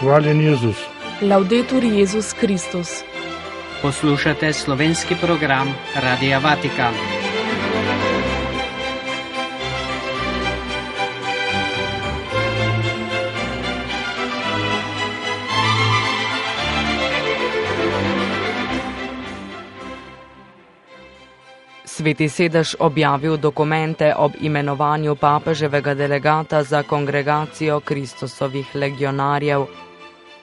Hvaljen Jezus. Laudetur Jezus Kristus. Poslušate slovenski program Radia Vatikan. Sveti sedež objavil dokumente ob imenovanju papeževega delegata za kongregacijo Kristusovih legionarjev.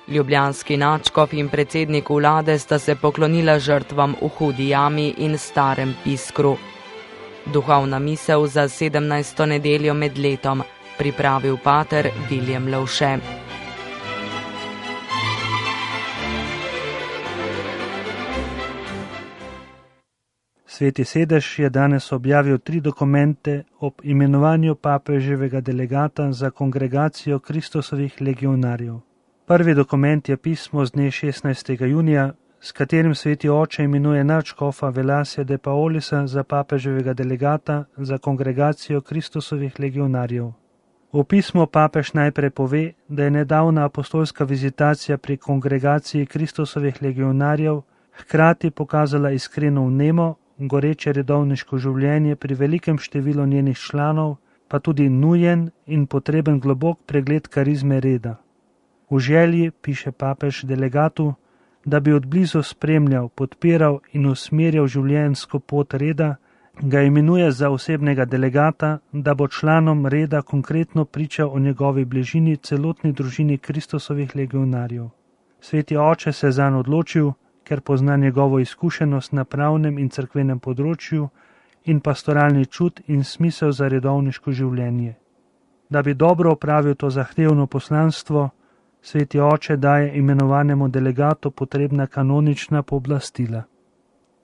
Ljubljanski nadškof in predsednik vlade sta se poklonila žrtvam v Hudi jami in Starem Piskru. Duhovna misel za 17. nedeljo med letom, pripravil pater Viljem Lovše. Sveti sedež je danes objavil 3 dokumente ob imenovanju papeževega delegata za kongregacijo Kristusovih legionarjev. Prvi dokument je pismo z dne 16. junija, s katerim sveti oče imenuje nadškofa Velasja de Paolisa za papeževega delegata za kongregacijo Kristusovih legionarjev. V pismu papež najprej pove, da je nedavna apostolska vizitacija pri kongregaciji Kristusovih legionarjev hkrati pokazala iskreno vnemo, goreče redovniško življenje pri velikem številu njenih članov, pa tudi nujen in potreben globok pregled karizme reda. V želji, piše papež delegatu, da bi odblizu spremljal, podpiral in usmerjal življenjsko pot reda, ga imenuje za osebnega delegata, da bo članom reda konkretno pričal o njegovi bližini celotni družini Kristusovih legionarjev. Sveti oče se zanj odločil, ker pozna njegovo izkušenost na pravnem in cerkvenem področju in pastoralni čut in smisel za redovniško življenje. Da bi dobro opravil to zahtevno poslanstvo, sveti oče daje imenovanemu delegatu potrebna kanonična pooblastila.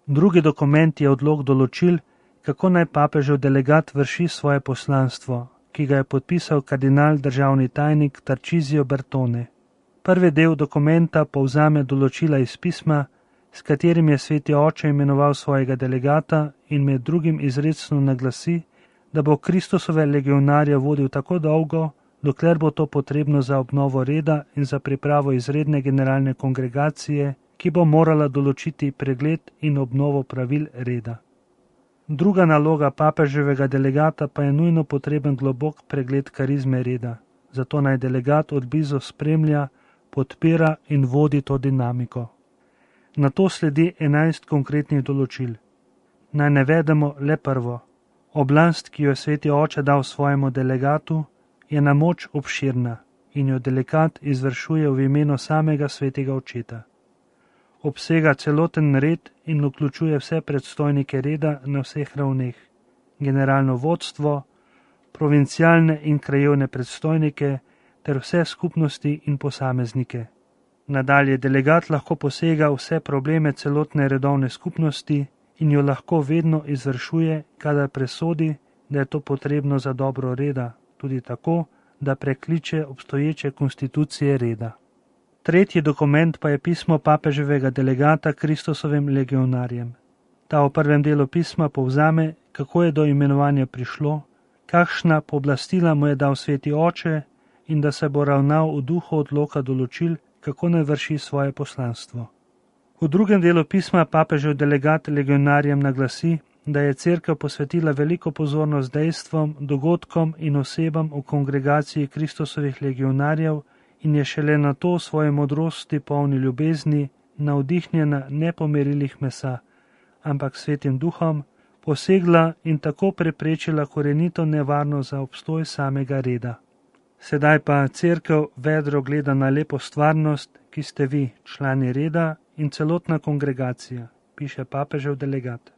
Drugi dokument je odlok določil, kako naj papežev delegat vrši svoje poslanstvo, ki ga je podpisal kardinal državni tajnik Tarcísio Bertone. Prvi del dokumenta povzame določila iz pisma, s katerim je sveti oče imenoval svojega delegata in med drugim izrecno naglasi, da bo Kristusove legionarje vodil tako dolgo, dokler bo to potrebno za obnovo reda in za pripravo izredne generalne kongregacije, ki bo morala določiti pregled in obnovo pravil reda. Druga naloga papeževega delegata pa je nujno potreben globok pregled karizme reda, zato naj delegat odblizu spremlja, podpira in vodi to dinamiko. Na to sledi 11 konkretnih določil. Naj navedemo le prvo. Oblast, ki jo je sveti oče dal svojemu delegatu, je na moč obširna in jo delegat izvršuje v imenu samega svetega očeta. Obsega celoten red in vključuje vse predstojnike reda na vseh ravneh, generalno vodstvo, provincialne in krajevne predstojnike ter vse skupnosti in posameznike. Nadalje delegat lahko posega vse probleme celotne redovne skupnosti in jo lahko vedno izvršuje, kadar presodi, da je to potrebno za dobro reda, tudi tako, da prekliče obstoječe konstitucije reda. Tretji dokument pa je pismo papeževega delegata Kristusovim legionarjem. Ta v prvem delu pisma povzame, kako je do imenovanja prišlo, kakšna pooblastila mu je dal sveti oče in da se bo ravnal v duhu odloka določil, kako naj vrši svoje poslanstvo. V drugem delu pisma papežev delegat legionarjem naglasi, da je cerkev posvetila veliko pozornost dejstvom, dogodkom in osebam v kongregaciji Kristusovih legionarjev in je šele na to svoje modrosti polni ljubezni, navdihnjena ne po merilih mesa, ampak svetim duhom, posegla in tako preprečila korenito nevarnost za obstoj samega reda. Sedaj pa cerkev vedro gleda na lepo stvarnost, ki ste vi, člani reda in celotna kongregacija, piše papežev delegat.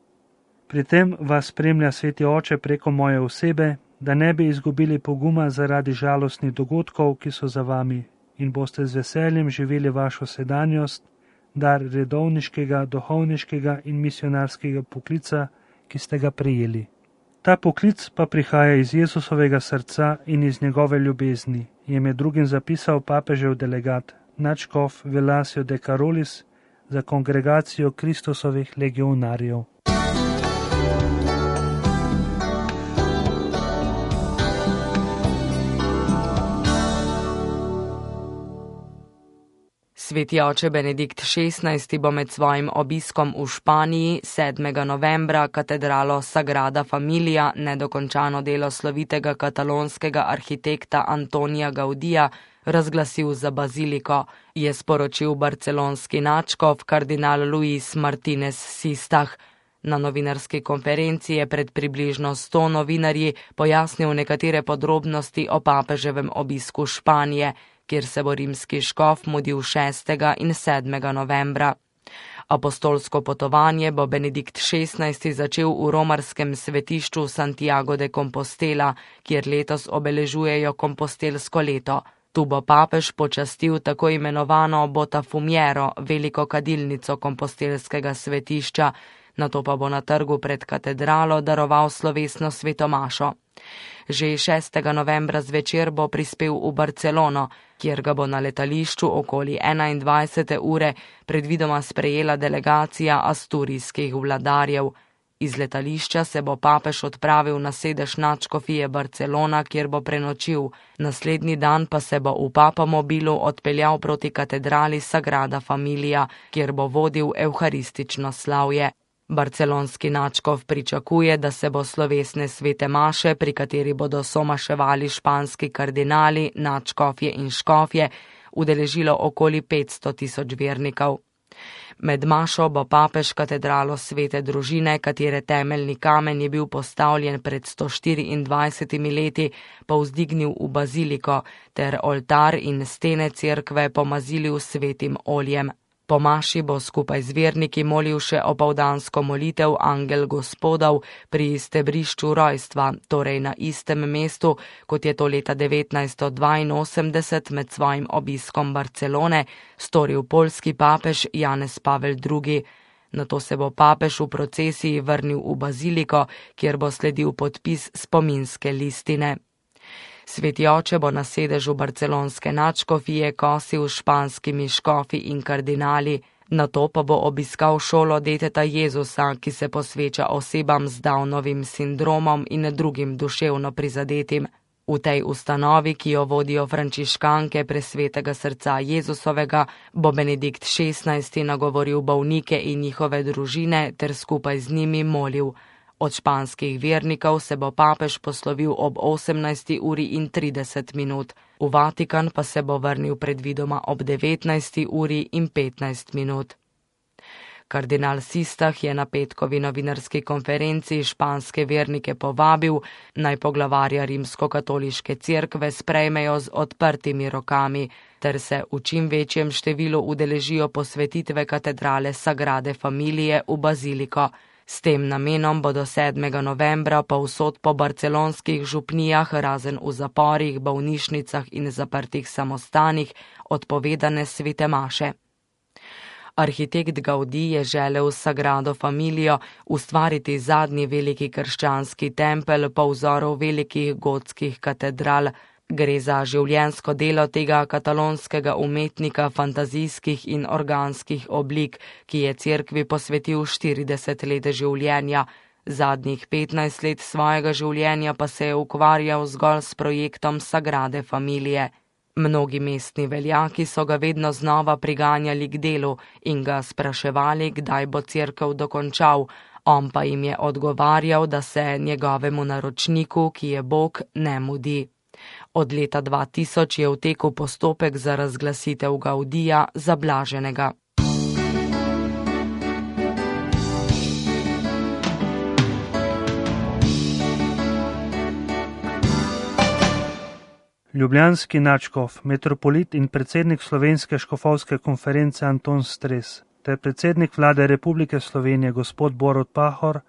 Pri tem vas spremlja sveti oče preko moje osebe, da ne bi izgubili poguma zaradi žalostnih dogodkov, ki so za vami in boste z veseljem živeli vašo sedanjost, dar redovniškega, duhovniškega in misionarskega poklica, ki ste ga prejeli. Ta poklic pa prihaja iz Jezusovega srca in iz njegove ljubezni, je med drugim zapisal papežev delegat, nadškof Velasio de Carolis za kongregacijo Kristusovih legionarjev. Sveti oče Benedikt XVI bo med svojim obiskom v Španiji 7. novembra katedralo Sagrada Familia, nedokončano delo slovitega katalonskega arhitekta Antonija Gaudija, razglasil za baziliko, je sporočil barcelonski nadškof kardinal Luis Martinez Sistah. Na novinarski konferenci je pred približno 100 novinarji pojasnil nekatere podrobnosti o papeževem obisku Španije, kjer se bo rimski škof mudil 6. in 7. novembra. Apostolsko potovanje bo Benedikt XVI začel v romarskem svetišču Santiago de Compostela, kjer letos obeležujejo kompostelsko leto. Tu bo papež počastil tako imenovano Botafumiero, veliko kadilnico kompostelskega svetišča, nato pa bo na trgu pred katedralo daroval slovesno svetomašo. Že 6. novembra zvečer bo prispel v Barcelono, kjer ga bo na letališču okoli 21. ure predvidoma sprejela delegacija asturijskih vladarjev. Iz letališča se bo papež odpravil na sedež nadškofije Barcelona, kjer bo prenočil. Naslednji dan pa se bo v papamobilu odpeljal proti katedrali Sagrada Familia, kjer bo vodil evharistično slavje. Barcelonski nadškof pričakuje, da se bo slovesne svete maše, pri kateri bodo somaševali španski kardinali, nadškofje in škofje, udeležilo okoli 500.000 vernikov. Med mašo bo papež katedralo Svete družine, katere temeljni kamen je bil postavljen pred 124 leti, povzdignil v baziliko ter oltar in stene cerkve pomazili svetim oljem. Po maši bo skupaj z verniki molil še opoldansko molitev Angel Gospodov pri stebrišču rojstva, torej na istem mestu, kot je to leta 1982 med svojim obiskom Barcelone storil poljski papež Janez Pavel II. Nato se bo papež v procesiji vrnil v baziliko, kjer bo sledil podpis spominske listine. Sveti oče bo na sedežu barcelonske nadškofije kosil s španskimi škofi in kardinali, nato pa bo obiskal šolo deteta Jezusa, ki se posveča osebam z Downovim sindromom in drugim duševno prizadetim. V tej ustanovi, ki jo vodijo frančiškanke Presvetega srca Jezusovega, bo Benedikt XVI nagovoril bolnike in njihove družine ter skupaj z njimi molil. Od španskih vernikov se bo papež poslovil ob 18:30. V Vatikan pa se bo vrnil predvidoma ob 19:15. Kardinal Sistah je na petkovi novinarski konferenci španske vernike povabil, naj poglavarja rimskokatoliške cerkve sprejmejo z odprtimi rokami, ter se v čim večjem številu udeležijo posvetitve katedrale Sagrade Familije v baziliko. S tem namenom bodo 7. novembra povsod po barcelonskih župnijah, razen v zaporih, bolnišnicah in zaprtih samostanih, odpovedane svete maše. Arhitekt Gaudí je želel s Sagrado Familijo ustvariti zadnji veliki krščanski tempelj po vzoru velikih gotskih katedral. Gre za življenjsko delo tega katalonskega umetnika fantazijskih in organskih oblik, ki je cerkvi posvetil 40 let življenja. Zadnjih 15 let svojega življenja pa se je ukvarjal zgolj s projektom Sagrade Familije. Mnogi mestni veljaki so ga vedno znova priganjali k delu in ga spraševali, kdaj bo cerkev dokončal, on pa jim je odgovarjal, da se njegovemu naročniku, ki je Bog, ne mudi. Od leta 2000 je v teku postopek za razglasitev Gaudija za blaženega. Ljubljanski nadškof, metropolit in predsednik Slovenske škofovske konference Anton Stres ter predsednik vlade Republike Slovenije gospod Borut Pahor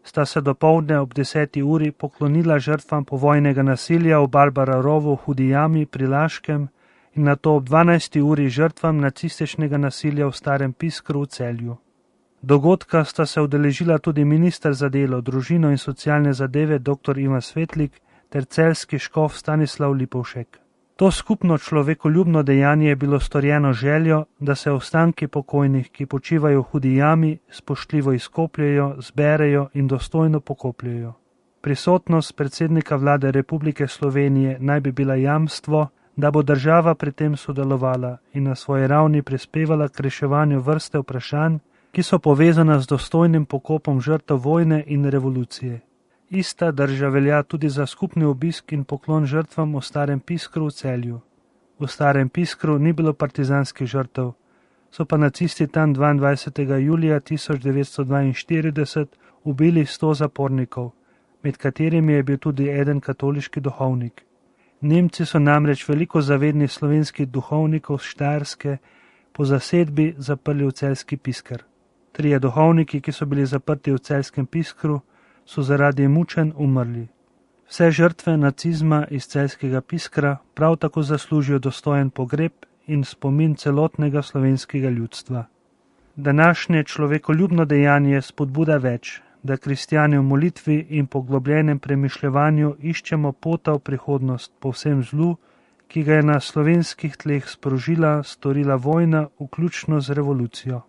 sta se dopoldne ob 10. uri poklonila žrtvam povojnega nasilja v Barbara rovu v Hudi jami pri Laškem in nato ob 12. uri žrtvam nacističnega nasilja v Starem Piskru v Celju. Dogodka sta se udeležila tudi minister za delo, družino in socialne zadeve dr. Ivan Svetlik ter celjski škof Stanislav Lipovšek. To skupno človekoljubno dejanje je bilo storjeno željo, da se ostanki pokojnih, ki počivajo v Hudi jami, spoštljivo izkopljejo, zberejo in dostojno pokopljejo. Prisotnost predsednika vlade Republike Slovenije naj bi bila jamstvo, da bo država pri tem sodelovala in na svoji ravni prispevala k reševanju vrste vprašanj, ki so povezana z dostojnim pokopom žrtev vojne in revolucije. Ista drža velja tudi za skupni obisk in poklon žrtvam v Starem Piskru v Celju. V Starem Piskru ni bilo partizanskih žrtev, so pa nacisti tam 22. julija 1942 ubili 100 zapornikov, med katerimi je bil tudi eden katoliški duhovnik. Nemci so namreč veliko zavednih slovenskih duhovnikov z Štajerske po zasedbi zaprli v celjski Pisker. 3 duhovniki, ki so bili zaprti v celjskem Piskru, so zaradi mučenj umrli. Vse žrtve nacizma iz celjskega Piskra prav tako zaslužijo dostojen pogreb in spomin celotnega slovenskega ljudstva. Današnje človekoljubno dejanje spodbuda več, da kristjani v molitvi in poglobljenem premišljevanju iščemo pota v prihodnost po vsem zlu, ki ga je na slovenskih tleh storila vojna, vključno z revolucijo.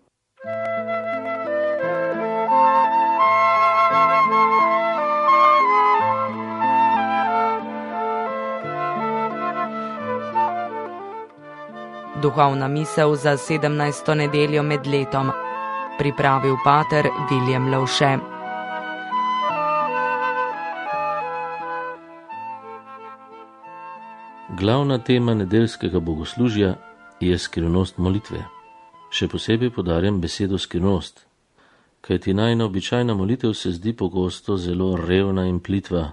Duhovna misel za 17. nedeljo med letom. Pripravil pater Viljem Lovše. Glavna tema nedeljskega bogoslužja je skrivnost molitve. Še posebej poudarjam besedo skrivnost, kajti najina običajna molitev se zdi pogosto zelo revna in plitva.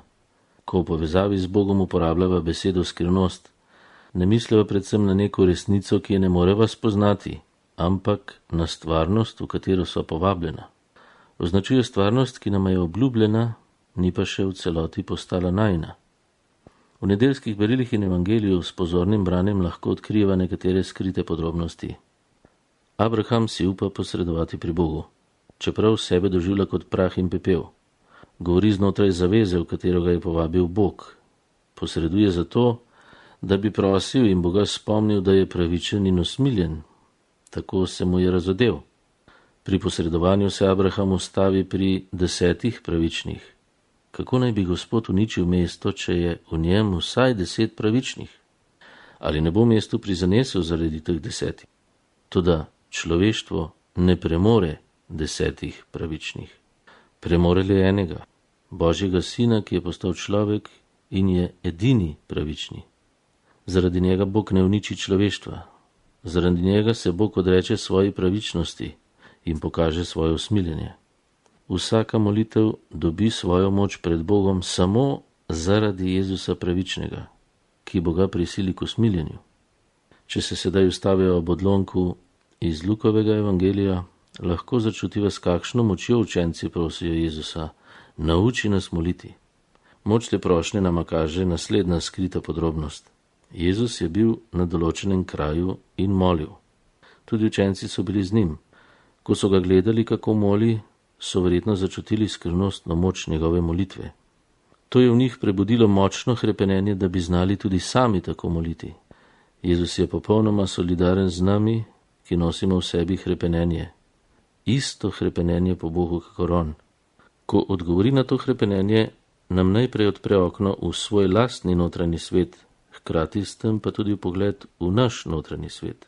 Ko v povezavi z Bogom uporabljava besedo skrivnost, ne misliva predvsem na neko resnico, ki je ne moreva spoznati, ampak na stvarnost, v katero so povabljena. Označuje stvarnost, ki nam je obljubljena, ni pa še v celoti postala najina. V nedeljskih berilih in evangeliju s pozornim branjem lahko odkriva nekatere skrite podrobnosti. Abraham si upa posredovati pri Bogu, čeprav sebe doživlja kot prah in pepel. Govori znotraj zaveze, v katero ga je povabil Bog. Posreduje zato, da bi prosil in Boga spomnil, da je pravičen in usmiljen. Tako se mu je razodel. Pri posredovanju se Abraham ustavi pri 10 pravičnih. Kako naj bi Gospod uničil mesto, če je v njem vsaj 10 pravičnih? Ali ne bo mestu prizanesel zaradi teh 10? Toda človeštvo ne premore 10 pravičnih. Premore le enega, Božjega Sina, ki je postal človek in je edini pravični. Zaradi njega Bog ne uniči človeštva. Zaradi njega se Bog odreče svoji pravičnosti in pokaže svoje usmiljenje. Vsaka molitev dobi svojo moč pred Bogom samo zaradi Jezusa pravičnega, ki Boga prisili k usmiljenju. Če se sedaj ustavijo ob odlomku iz Lukovega evangelija, lahko začutiva, s kakšno močjo učenci prosijo Jezusa: nauči nas moliti. Moč te prošnje nama kaže naslednja skrita podrobnost. Jezus je bil na določenem kraju in molil. Tudi učenci so bili z njim. Ko so ga gledali, kako moli, so verjetno začutili skrivnostno moč njegove molitve. To je v njih prebudilo močno hrepenenje, da bi znali tudi sami tako moliti. Jezus je popolnoma solidaren z nami, ki nosimo v sebi hrepenenje. Isto hrepenenje po Bogu kakor on. Ko odgovori na to hrepenenje, nam najprej odpre okno v svoj lastni notranji svet, hkrati s tem pa tudi pogled v naš notranji svet.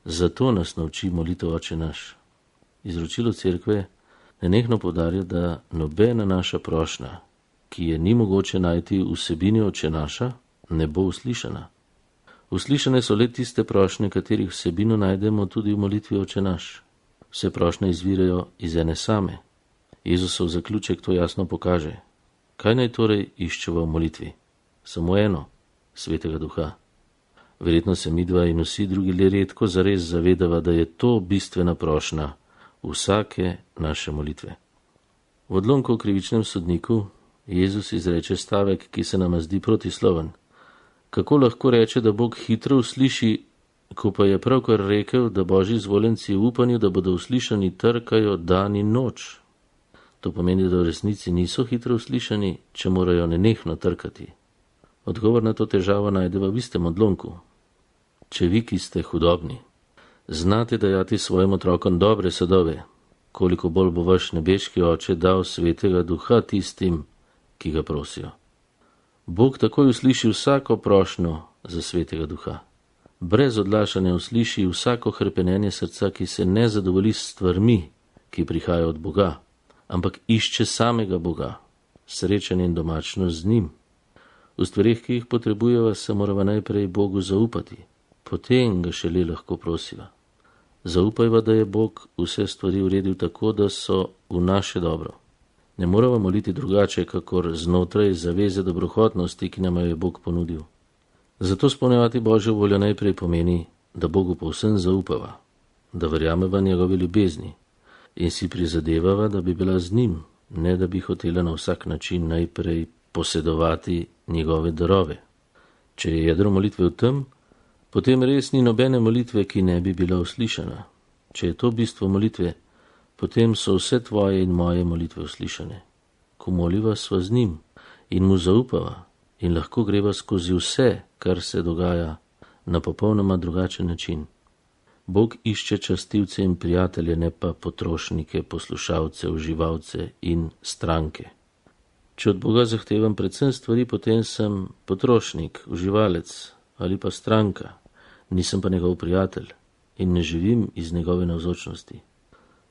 Zato nas nauči molitev Oče naš. Izročilo cerkve nenehno poudarja, da nobena naša prošnja, ki je ni mogoče najti v vsebini Oče naša, ne bo uslišana. Uslišane so le tiste prošnje, katerih vsebino najdemo tudi v molitvi Oče naš. Vse prošnje izvirajo iz ene same. Jezusov zaključek to jasno pokaže. Kaj naj torej iščeva v molitvi? Samo eno, Svetega Duha. Verjetno se midva in vsi drugi le redko zares zavedava, da je to bistvena prošnja vsake naše molitve. V odlomku o krivičnem sodniku Jezus izreče stavek, ki se nama zdi protisloven. Kako lahko reče, da Bog hitro usliši, ko pa je pravkar rekel, da Božji izvoljenci v upanju, da bodo uslišani, trkajo dan in noč? To pomeni, da v resnici niso hitro uslišani, če morajo nenehno trkati. Odgovor na to težavo najdeva v istem odlomku. Če vi, ki ste hudobni, znate dajati svojim otrokom dobre sadove, koliko bolj bo vaš nebeški Oče dal Svetega Duha tistim, ki ga prosijo. Bog takoj usliši vsako prošnjo, za Svetega Duha. Brez odlašanja usliši vsako hrepenenje srca, ki se ne zadovolji s stvarmi, ki prihajajo od Boga, ampak išče samega Boga, srečanje in domačnost z njim. V stvareh, ki jih potrebujeva, se morava najprej Bogu zaupati, potem ga šele lahko prosiva. Zaupajva, da je Bog vse stvari uredil tako, da so v naše dobro. Ne morava moliti drugače, kakor znotraj zaveze dobrohotnosti, ki nam jo je Bog ponudil. Zato spolnjevati Božjo voljo najprej pomeni, da Bogu povsem zaupava, da verjameva njegove ljubezni in si prizadevava, da bi bila z njim, ne da bi hotela na vsak način najprej posedovati njegove darove. Če je jedro molitve v tem, potem res ni nobene molitve, ki ne bi bila uslišana. Če je to bistvo molitve, potem so vse tvoje in moje molitve uslišane. Ko moliva, sva z njim in mu zaupava in lahko greva skozi vse, kar se dogaja, na popolnoma drugačen način. Bog išče častilce in prijatelje, ne pa potrošnike, poslušalce, uživalce in stranke. Če od Boga zahtevam predvsem stvari, potem sem potrošnik, uživalec ali pa stranka, nisem pa njegov prijatelj in ne živim iz njegove navzočnosti.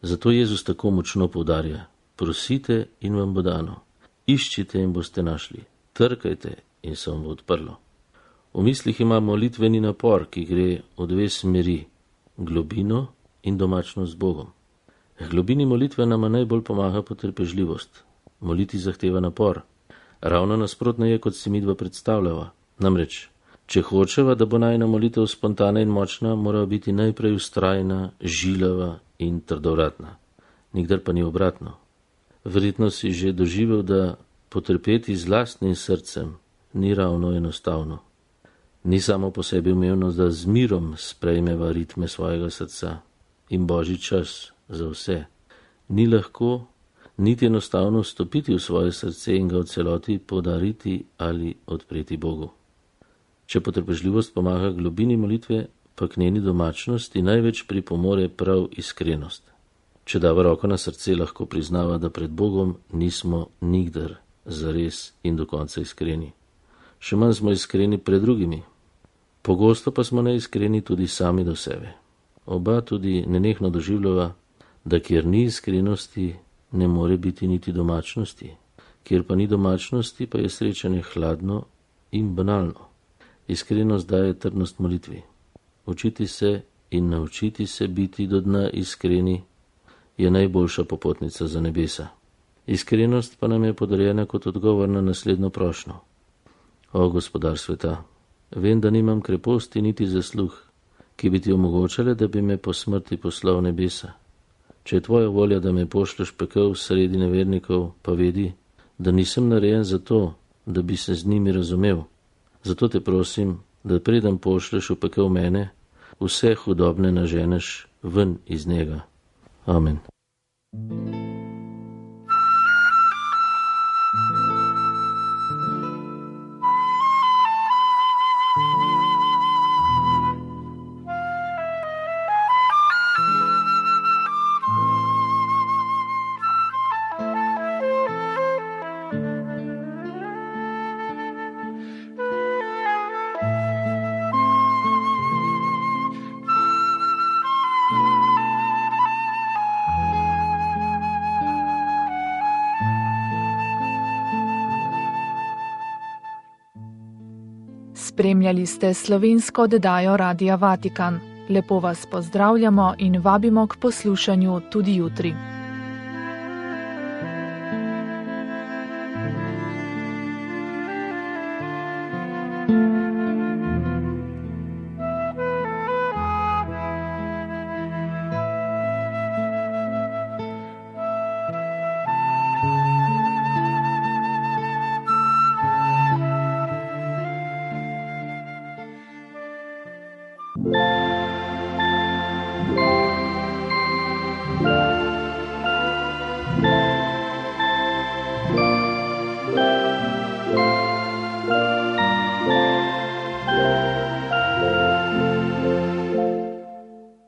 Zato Jezus tako močno poudarja: prosite in vam bo dano, iščite in boste našli, trkajte in se vam bo odprlo. V mislih ima molitveni napor, ki gre v dve smeri, globino in domačnost z Bogom. Globini molitve nama najbolj pomaga potrpežljivost. Moliti zahteva napor. Ravno nasprotno je, kot si midva predstavljava. Namreč, če hočeva, da bo najina molitev spontana in močna, mora biti najprej vztrajna, žilava in trdovratna. Nikdar pa ni obratno. Verjetno si že doživel, da potrpeti z lastnim srcem ni ravno enostavno. Ni samo po sebi umevno, da z mirom sprejmeva ritme svojega srca in Božji čas za vse. Ni lahko niti enostavno vstopiti v svoje srce in ga v celoti podariti ali odpreti Bogu. Če potrpežljivost pomaga globini molitve, pa k njeni domačnosti največ pripomore prav iskrenost. Če dava roko na srce, lahko priznava, da pred Bogom nismo nikdar zares in do konca iskreni. Še manj smo iskreni pred drugimi. Pogosto pa smo neiskreni tudi sami do sebe. Oba tudi nenehno doživljava, da kjer ni iskrenosti, ne more biti niti domačnosti. Kjer pa ni domačnosti, pa je srečanje hladno in banalno. Iskrenost daje trdnost molitvi. Učiti se in naučiti se biti do dna iskreni je najboljša popotnica za nebesa. Iskrenost pa nam je podarjena kot odgovor na naslednjo prošnjo. O Gospodar sveta, vem, da nimam kreposti niti zasluh, ki bi ti omogočale, da bi me po smrti poslal v nebesa. Če je tvoja volja, da me pošleš pekel sredi nevernikov, pa vedi, da nisem narejen za to, da bi se z njimi razumel. Zato te prosim, da preden pošleš v pekel mene, vse hudobne naženeš ven iz njega. Amen. Spremljali ste slovensko oddajo Radia Vatikan. Lepo vas pozdravljamo in vabimo k poslušanju tudi jutri.